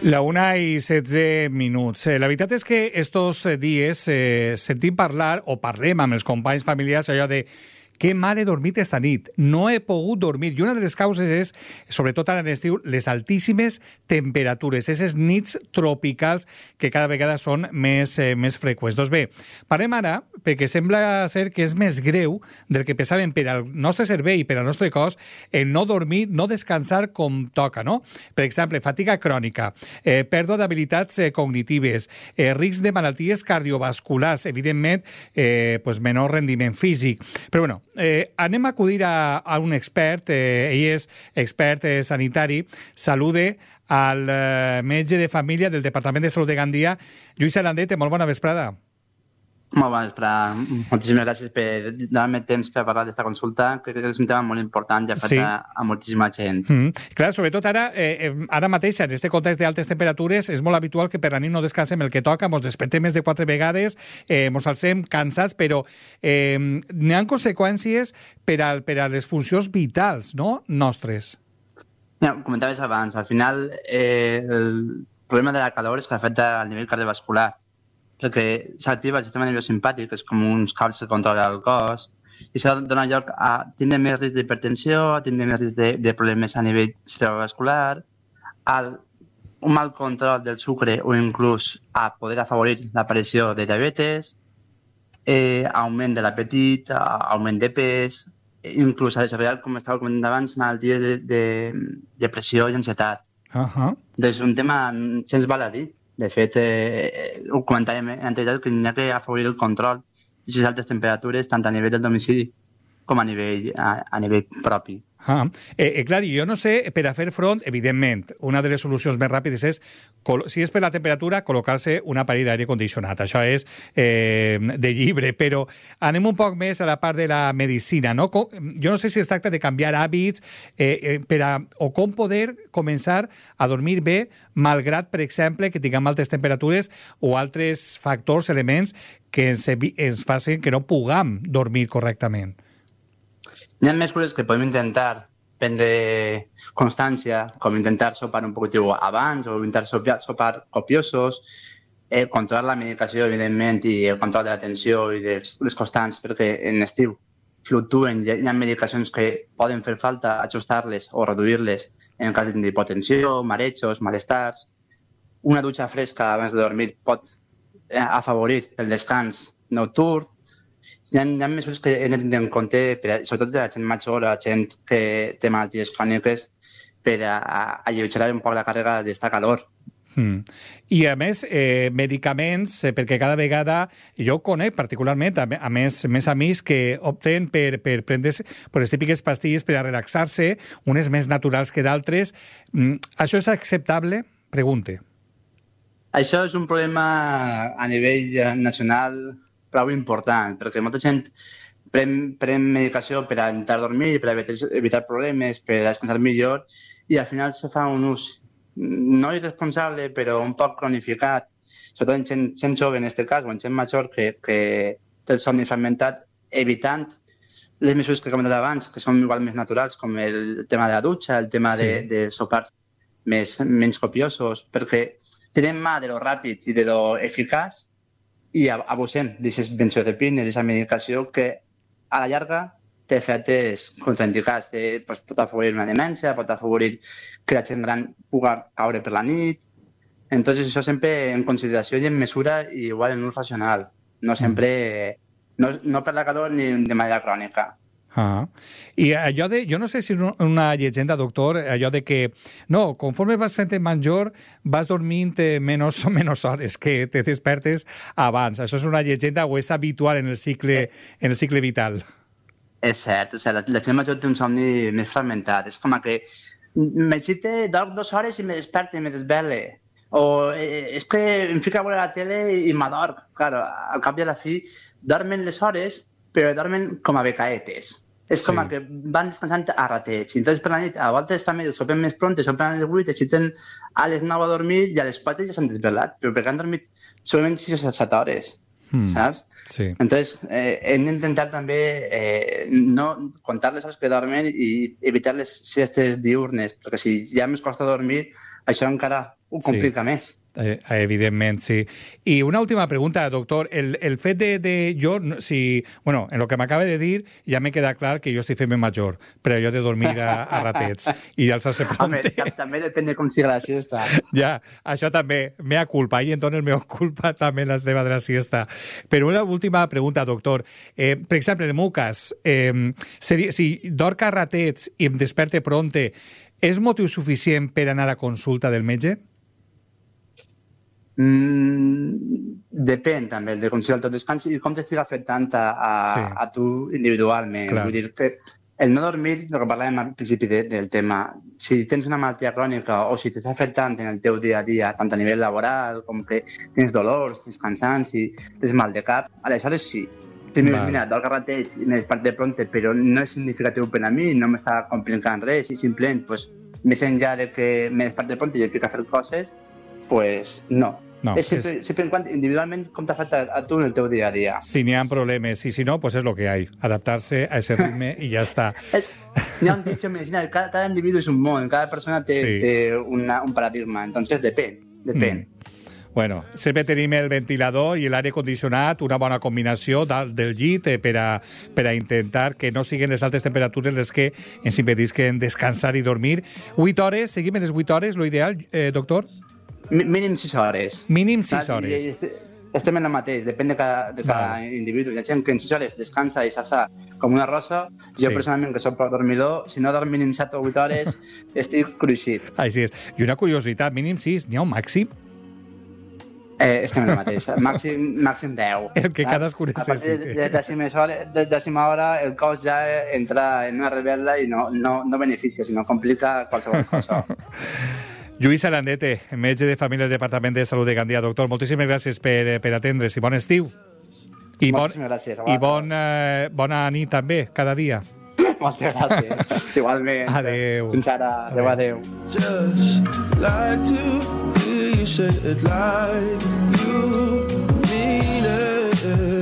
La 1:16. La veritat és que estos dies sentim parlar, o parlem amb els companys familiars, allò de que mal he dormit esta nit, no he pogut dormir. I una de les causes és, sobretot ara en l'estiu, les altíssimes temperatures, aquestes nits tropicals que cada vegada són més freqüents. Doncs bé, parlem ara, perquè sembla ser que és més greu del que pensàvem per al nostre cervell i per al nostre cos el no dormir, no descansar com toca, no? Per exemple, fatiga crònica, pèrdua d'habilitats cognitives, risc de malalties cardiovasculars, evidentment, menor rendiment físic. Però bueno, anem a acudir a un expert, ell és expert sanitari, salude al metge de família del Departament de Salut de Gandia, Lluís Arandet. Molt bona vesprada. Molt bona vesprada. Moltíssimes gràcies per donar-me temps per parlar d'esta consulta, que és un tema molt important i afecta a moltíssima gent. Clar, sobretot ara mateix, en aquest context d'altes temperatures, és molt habitual que per la nit no descansem el que toca, ens despertem més de 4 vegades, ens alcem cansats, però n'hi ha conseqüències per a les funcions vitals, no?, nostres. Ja, comentaves abans, al final el problema de la calor és que afecta al nivell cardiovascular, perquè s'activa el sistema nerviós simpàtic, que és com uns cables que controlen el cos, i això dona lloc a tindre més risc d'hipertensió, a tindre més risc de problemes a nivell cerebrovascular, un mal control del sucre o inclús a poder afavorir l'aparició de diabetes, augment de l'apetit, augment de pes, inclús a desafiar, com estava comentant abans, malalties de depressió i ansietat. És un tema sense val a dir. De fet, ho comentàvem en anterioritat, que n'hi ha que afavorir el control d'aquestes altes temperatures, tant a nivell del domicili com a nivell propi. Clar, jo no sé, per a fer front, evidentment, una de les solucions més ràpides és, si és per la temperatura, col·locar-se un aparell d'aire condicionat. Això és de llibre, però anem un poc més a la part de la medicina, no? Jo no sé si es tracta de canviar hàbits o com poder començar a dormir bé, malgrat, per exemple, que tinguem altes temperatures o altres factors, elements que ens facin que no puguem dormir correctament. Hi ha mesures que podem intentar prendre constància, com intentar sopar un poquitiu abans o intentar sopar copiosos, controlar la medicació, evidentment, i el control de la tensió i les constants, perquè en estiu fluctuen, hi ha medicacions que poden fer falta ajustar-les o reduir-les en el cas d'hipotensió, marejos, malestars. Una dutxa fresca abans de dormir pot afavorir el descans nocturn. Hi ha mesures que hem de tenir en compte, sobretot de la gent major, la gent que té malalties cròniques, per alleugerar un poc la càrrega d'esta calor. I, a més, medicaments, perquè cada vegada, jo conec particularment, a més amics que opten per prendre les típiques pastilles per a relaxar-se, unes més naturals que d'altres. Això és acceptable? Pregunte. Això és un problema a nivell nacional prou important, perquè molta gent pren medicació per a intentar dormir, per a evitar problemes, per a descansar millor, i al final se fa un ús no irresponsable, però un poc cronificat, sobretot en gent jove en aquest cas, o en gent major que té el somni fragmentat, evitant les mesures que he comentat abans, que són igual més naturals, com el tema de la dutxa, el tema de sopar menys copiosos, perquè tenim mà de lo ràpid i de lo eficaç, i abusem d'aquestes benzodiazepines, d'aquesta medicació que a la llarga té efectes contraindicats. Pot afavorir una demència, pot afavorir que la gent gran pugui caure per la nit. Entonces, això sempre en consideració i en mesura i igual en ús racional. No sempre, no per la calor ni de manera crònica. I allò de, jo no sé si és una llegenda, doctor, allò de que, no, conforme vas fent major, vas dormint menys hores, que te despertes abans. Això és una llegenda o és habitual en el cicle vital? És cert, la gent major té un somni més fragmentat. És com que m'excite, dorm 2 hores i me desperte i me desvele. O és que em fico a veure la tele i m'adorm. Claro, al cap i a la fi, dormen les hores, però dormen com a becaetes. És com que van descansant a rateig. Entonces, per la nit, a voltes també sopen més pronte, sopen a les 8, exciten a les 9 a dormir i a les 4 ja s'han desvelat, però perquè han dormit solament 6 o 7 hores, saps? Sí. Entonces, hem d'intentar també no contar les hores que dormen i evitar les siestes diurnes, perquè si ja més costa dormir, això encara ho complica més. Evidentment, sí. I una última pregunta, doctor. El fet de jo, si... Bueno, en lo que m'acaba de dir ja m'he quedat clar que jo estic fent major, però jo de dormir a ratets i d'alçar-se pronte. Home, també depèn de com siga la siesta. Ja, això també, mea culpa, i entonces mea culpa també la seva de la siesta. Però una última pregunta, doctor. Per exemple, en el meu cas, si dorc a ratets i em desperte pronte, és motiu suficient per anar a consulta del metge? Depèn també de com sigui el teu descans i com t'estigui afectant a tu individualment. Clar. Vull dir que el no dormir, el que parlàvem al principi del tema, si tens una malaltia crònica o si t'està afectant en el teu dia a dia, tant a nivell laboral com que tens dolors, tens cansanci, tens mal de cap, aleshores sí. Mira, dorc a ratets i m'he despertat de pronte, però no és significatiu per a mi, no m'està complicant res i simplement, més enllà de que m'he despertat de pronte i he de fer coses, no. No, sempre en quant individualment com t'afecta a tu en el teu dia a dia. Si n'hi ha problemes i si no, pues es lo que hay. Adaptarse a ese ritme i ja està. N'hi ha un dicho en medicina, cada individu és un món, cada persona té un paradigma, entonces depèn. Bueno, sempre tenim el ventilador i l'aire condicionat, una bona combinació del llit per a intentar que no siguin les altes temperatures les que ens impedisquen descansar i dormir. 8 hores, seguim en les 8 hores, lo ideal, doctor? Mínim 6 hores. Mínim 6 hores. Estem en el mateix, depèn de cada individu. Hi ha gent que en 6 hores descansa i s'alça com una rosa. Jo, personalment, que soc dormidor, si no dorm mínim 7 o 8 hores, estic cruixit. Així és. I una curiositat, mínim 6, n'hi ha un màxim? Estem en el mateix. Màxim 10. El que cadascú necessiti. A partir de dècima hora, el cos ja entra en una rebel·la i no beneficia, sinó complica qualsevol cosa. Lluís Arandete, metge de família del Departament de Salut de Gandia. Doctor, moltíssimes gràcies per atendre's i bon estiu. Moltíssimes gràcies. I bona nit també, cada dia. Moltes gràcies. Igualment. Adéu. Fins ara. Adéu. Just like to hear you say it like you mean it.